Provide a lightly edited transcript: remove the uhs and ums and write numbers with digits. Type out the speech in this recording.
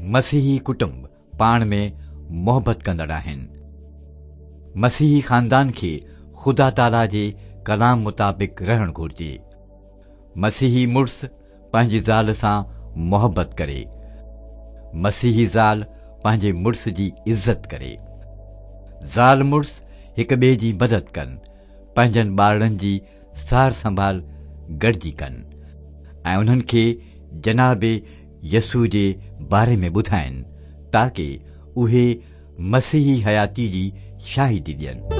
مسيحي ڪٽنب پاڻ ۾ محبت ڪندڙ آهن. مسيحي خاندان کي خدا تعاليٰ جي ڪلام مطابق رهڻ گهرجي. مسيحي مڙس پنهنجي زال سان محبت ڪري. مسيحي زال پنهنجي مڙس جي عزت ڪري. زال مڙس هڪ ٻئي جي مدد ڪن. پنهنجن ٻارڙن جي سار سنڀال گڏجي ڪن ۽ انهن کي جناب يسوع جي باري ۾ ٻڌائين تاڪي اهي مسيحي حياتي جي شاهدي ڏين.